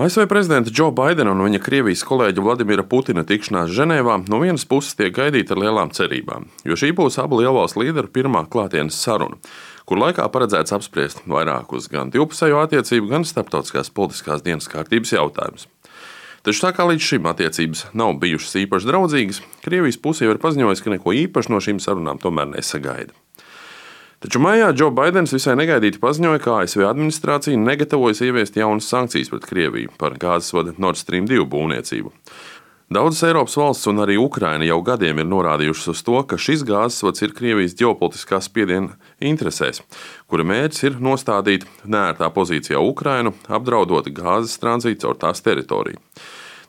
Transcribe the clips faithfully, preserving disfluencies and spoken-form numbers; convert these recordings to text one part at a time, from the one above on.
A S V prezidenta Džo Baidena un viņa Krievijas kolēģa Vladimira Putina tikšanās Ženēvā no vienas puses tiek gaidīta ar lielām cerībām, jo šī būs abu lielvalstu līderu pirmā klātienes saruna, kur laikā paredzēts apspriest vairākus gan divpusējo attiecību, gan starptautiskās politiskās dienas kārtības jautājumus. Taču tā kā līdz šim attiecības nav bijušas īpaši draudzīgas, Krievijas puse jau ir paziņojusi, ka neko īpaši no šīm sarunām tomēr nesagaida. Taču maijā Džo Baidens visai negaidīti paziņoja, ka A S V administrācija negatavojas ieviest jaunas sankcijas pret Krieviju par gāzes vada Nord Stream divi būvniecību. Daudzas Eiropas valsts un arī Ukraina jau gadiem ir norādījušas uz to, ka šis gāzes vads ir Krievijas ģeopolitiskā spiediena interesēs, kura mērķis ir nostādīt neērtā pozīcijā Ukrainu, apdraudot gāzes tranzītu caur tās teritoriju.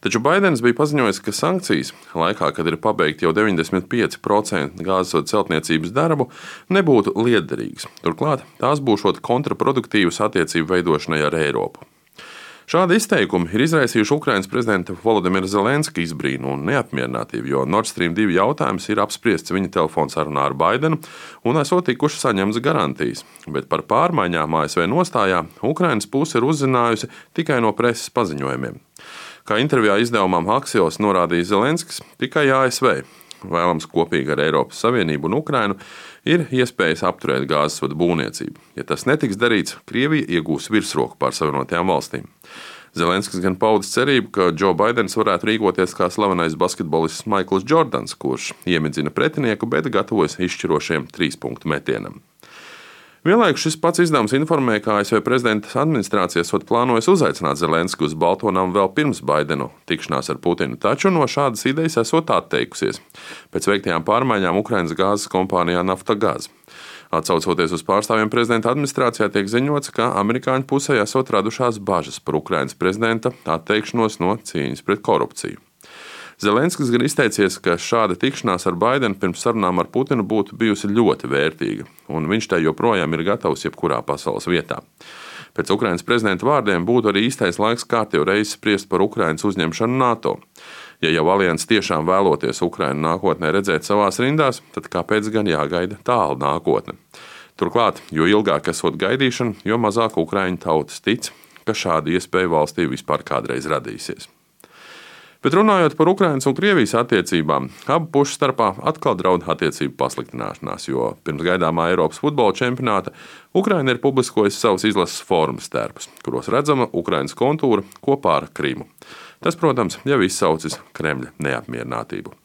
Taču Baidens bija paziņojis, ka sankcijas, laikā, kad ir pabeigti jau deviņdesmit pieci procenti gāzes vada celtniecības darbu, nebūtu lietderīgas. Turklāt tās būšot kontraproduktīvas attiecību veidošanai ar Eiropu. Šādi izteikumi ir izraisījuši Ukrainas prezidenta Volodimira Zelenska izbrīnu un neapmierinātību, jo Nord Stream divi jautājums ir apspriests viņa telefonsarunā ar Baidenu un esot tikušas saņemtas garantijas, bet par pārmaiņām A S V nostājā Ukrainas puse ir uzzinājusi tikai no preses paziņojumiem. Kā intervijā izdevumam Axios norādīja Zelenskis, tikai A S V, vēlams kopīgi ar Eiropas Savienību un Ukrainu, ir iespējas apturēt gāzes vada būvniecību. Ja tas netiks darīts, Krievija iegūs virsroku pār Savienotajām valstīm. Zelenskis gan paudis cerību, ka Džo Baidens varētu rīkoties kā slavenais basketbolists Maikls Džordans, kurš iemidzina pretinieku, bet gatavojas izšķirošiem trīspunktu metienam. Vienlaikus šis pats izdevums informēja, ka A S V prezidenta administrācija esot plānojis uzaicināt Zelensku uz Balto namu vēl pirms Baidenu tikšanās ar Putinu, taču no šādas idejas esot atteikusies pēc veiktajām pārmaiņām Ukrainas gāzes kompānijā Naftagaz. Atsaucoties uz pārstāvjiem prezidenta administrācijā, tiek ziņots, ka amerikāņu pusē esot radušās bažas par Ukrainas prezidenta atteikšanos no cīņas pret korupciju. Zelenskis gan izteicies, ka šāda tikšanās ar Baidenu pirms sarunām ar Putinu būtu bijusi ļoti vērtīga, un viņš tai joprojām ir gatavs jebkurā pasaules vietā. Pēc Ukrainas prezidenta vārdiem būtu arī īstais laiks kārtīgi reizi spriest par Ukrainas uzņemšanu NATO. Ja jau alianses tiešām vēloties Ukrainu nākotnē redzēt savās rindās, tad kāpēc gan jāgaida tālu nākotne? Turklāt, jo ilgāk esot gaidīšana, jo mazāk ukraiņu tautas tic, ka šāda iespēja valstī vispār kādreiz radīsies. Bet runājot par Ukrainas un Krievijas attiecībām, abu pušu starpā atkal draud attiecību pasliktināšanās, jo pirms gaidāmā Eiropas futbola čempionāta Ukraina ir publiskojusi savus izlases formas tērpus, kuros redzama Ukrainas kontūra kopā ar Krimu. Tas, protams, jau izsaucis Kremļa neapmierinātību.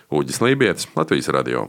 Uģis Lībietis, Latvijas radio.